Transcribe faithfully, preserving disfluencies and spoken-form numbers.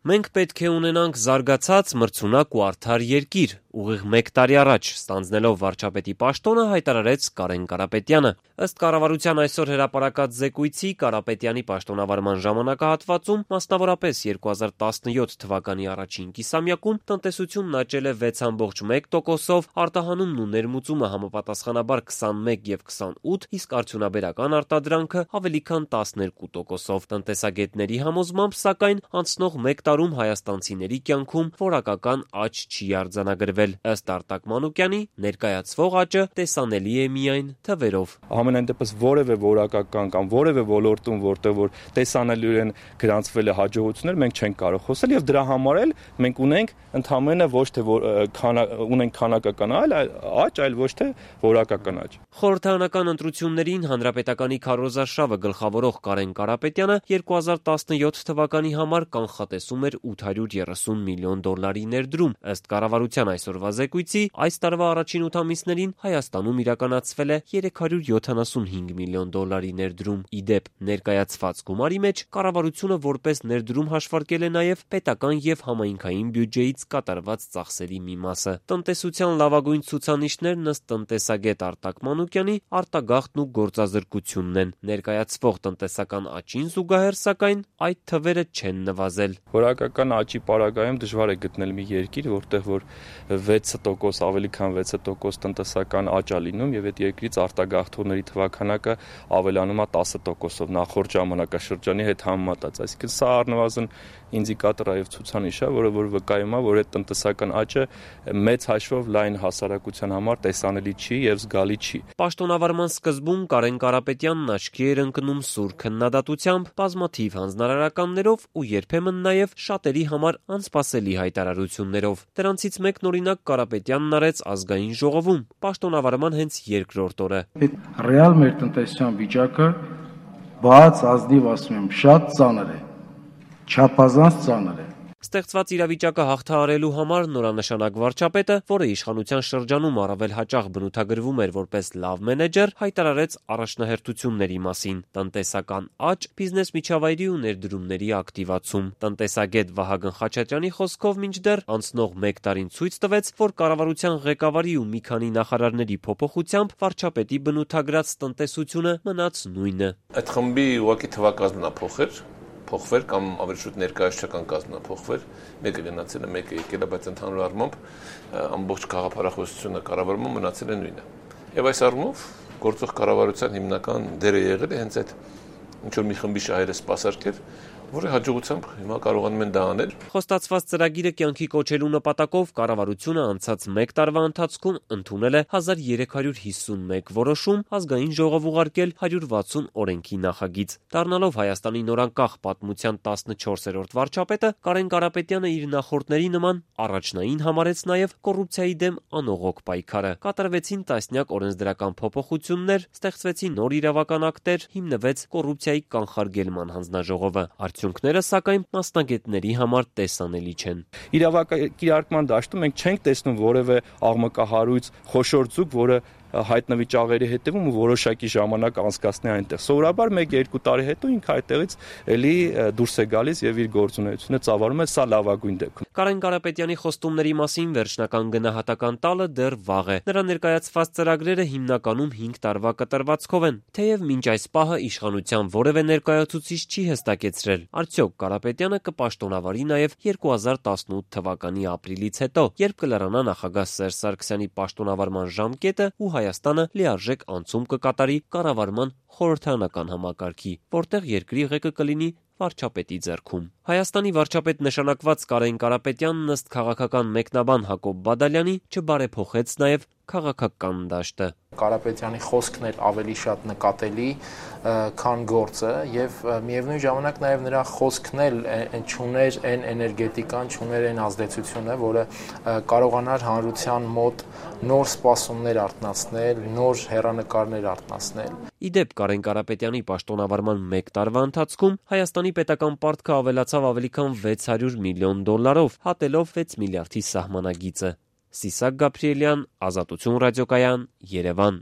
Մենք պետք է ունենանք զարգացած, մրցունակ ու արդար երկիր, ուղիղ մեկ տարի առաջ, ստանձնելով վարչապետի պաշտոնը, հայտարարեց Կարեն Կարապետյանը։ Ըստ կառավարության այսօր հրապարակած զեկույցի, Կարապետյանի պաշտոնավարման ժամանակահատվածում, մասնավորապես երկու հազար տասնյոթ թվականի առաջին կիսամյակում, տնտեսությունն աճել է վեց կόμma մեկ տոկոսով, արտահանումն ու ներմուծումը համապատասխանաբար քսանմեկ եւ քսանութ, իսկ արդյունաբերական արտադրանքը ավելի քան տասներկու տոկոսով։ Տնտեսագետների համոզմամբ, սակայն, անցնող մեկ տարում հայաստանցիների կյանքում որակական աճ չի արձանագրվել։ Ըստ Արտակ Մանուկյանի, ներկայացվող աճը տեսանելի է միայն թվերով։ Համենայն դեպս որևէ որակական կամ որևէ ոլորտում, որտեղ որ տեսանելիորեն գրանցվել է հաջողություններ, մենք չենք կարող խոսել եւ դրա համար էլ մենք ունենք ընդհանրապես ոչ թե քանա, ունենք քանակական աճ, այլ ոչ թե որակական աճ։ Խորհրդարանական ընտրություններին հանրապետականի քարոզարշավը գլխավորող Կարեն Կարապետյանը երկու հազար տասնյոթ թվականի համար կանխատեսում էր ութ հարյուր երեսուն միլիոն դոլարի ներդրում։ Ըստ կառավարության այսօրվա զեկույցի, այս տարվա առաջին ութ ամիսներին Հայաստանում իրականացվել է երեք հարյուր յոթանասունհինգ միլիոն դոլարի ներդրում։ Ի դեպ, ներկայացված գումարի մեջ կառավարությունը որպես ներդրում հաշվարկել է նաև պետական եւ համայնքային բյուջեից կատարված ծախսերի մի մասը։ Տնտեսության լավագույն ցուցանիշներն ըստ տնտեսագետ Արտակ Մանուկյանի արտագաղթն ու գործազրկությունն են։ Ներկայացվող տնտեսական աճին զուգահեռ, սակայն, այդ թվերը չեն նվազել։ Որակական աճի պարագայում դժվար է գտնել մի երկիր, որտեղ որ վեց տոկոս, ավելի քան վեց տոկոս տնտեսական աճ է լինում եւ այդ երկրից արտագաղթողների թվաքանակը ավելանում է տասը տոկոսով նախորդ ժամանակաշրջանի հետ համեմատած։ Այսինքն սա առնվազն ինդիկատոր է եւ ցուցանիշ է, որը որ վկայում է, որ այդ տնտեսական աճը մեծ հաշվով լայն հասարակության համար տեսանելի չի եւ զգալի չի։ Պաշտոնավարման սկզբում Կարեն Կարապետյանն աչքի էր ընկնում սուր քննադատությամբ, բազմաթիվ հանձնարարականներով ու երբեմն նաև շատերի համար անսպասելի հայտարարություններով։ Դրանցից մեկն օրինակ Կարապետյանն արեց ազգային ժողովում, պաշտոնավարման հենց երկրորդ օրը։ Ռեալ մեր տնտեսության վիճակը բաց ազնիվ ասում եմ, շատ ծանր է, չափազանց ծանր է։ Ստեղծված իրավիճակը հաղթահարելու համար նորանշանակ վարչապետը, որը իշխանության շրջանում առավել հաճախ բնութագրվում էր որպես լավ մենեջեր, հայտարարեց առաջնահերթությունների մասին՝ տնտեսական աճ, բիզնես միջավայրի ու ներդրումների ակտիվացում։ Տնտեսագետ Վահագն Խաչատրյանի խոսքով մինչդեռ անցնող մեկ տարին ցույց տվեց, որ կառավարության ղեկավարի ու մի քանի նախարարների փոփոխությամբ վարչապետի բնութագրած տնտեսությունը մնաց նույնը։ Այդ խմբի ուղղակի թվակազմն է փոխել փոխվեր կամ ավելի շուտ ներկայացչական կազմը փոխվեր, մեկը գնացել է, մեկը եկել է, բայց ընդհանուր առմամբ ամբողջ գաղափարախոսությունը կառավարումը մնացել է նույնը։ Եվ այս առումով գործող կառավարության հիմնական դերը եղել է հենց այդ ինչ որ մի խմբի շահերը սպասարկել, որը հաջողությամբ հիմա կարողանում են դա անել։ Խոստացված ծրագիրը կյանքի կոչելու նպատակով կառավարությունը անցած մեկ տարվա ընթացքում ընդունել է հազար երեք հարյուր հիսունմեկ որոշում, ազգային ժողով ուղարկել հարյուր վաթսուն օրենքի նախագիծ։ Դառնալով Հայաստանի նորանկախ պատմության տասնչորսերորդ վարչապետը, Կարեն Կարապետյանը իր նախորդների նման առաջնային համարեց նաև կոռուպցիայի դեմ անողոք պայքարը։ Կատարվեցին տասնյակ օրենսդրական փոփոխություններ, ստեղծվեցին նոր իրավական ակտեր, հիմնվեց կոռուպցիայի կանխարգելման հանձնաժողովը։ Արդյունքները, սակայն, մասնագետների համար տեսանելի չեն։ Իրավակիրարկման դաշտում մենք չենք տեսնում որևէ աղմկահարույց խոշոր ձուկ, որը հայտնվի ճաղերի հետևում ու որոշակի ժամանակ անցկացնի այնտեղ։ Սովորաբար մեկ-երկու տարի հետո ինքը այդտեղից էլի դուրս է գալիս եւ իր գործունեությունը ծավալում է, սա լավագույն դեպքում։ Կարեն Կարապետյանի խոստումների մասին վերջնական գնահատական տալը դեռ վաղ է։ Նրա ներկայացված ծրագրերը հիմնականում հինգ տարվա կտրվածքով են, թեև մինչ այս պահը իշխանության որևէ ներկայացուցիչ չի հստակեցրել, արդյոք Կարապետյանը կպաշտոնավարի նաև երկու հազար տասնութ թվականի ապրիլից հետո, երբ կլրանա նախագահ Սերժ Սարգսյանի պաշտոնավարման ժամկետը ու Հայաստանը լիարժեք անցում կկատարի կառավարման խորհրդարանական համակարգի, որտեղ երկրի ղեկը կլինի վարչապետի ձեռքում։ Հայաստանի վարչապետ նշանակված Կարեն Կարապետյանն ըստ քաղաքական մեկնաբան Հակոբ Բադալյանի չբարեփոխեց նաև քաղաքական դաշտը։ Կարապետյանի խոսքն էր ավելի շատ նկատելի, քան գործը, եւ միևնույն ժամանակ նաև նրա խոսքն էլ չուներ այն էներգետիկան, չուներ այն ազդեցությունը, որը կարողանար հանրության մոտ նոր սպասումներ արթնացնել, նոր հեռանկարներ արթնացնել։ Ի դեպ, Կարեն Կարապետյանի պաշտոնավարման մեկ տարվա ընթացքում Հայաստանի պետական պարտքը ավելացավ ավելի քան վեց հարյուր միլիոն դոլարով, հատելով վեց միլիարդի սահմանագիծը։ Սիսակ Գաբրիելյան, Ազատություն ռադիոկայան, Երևան։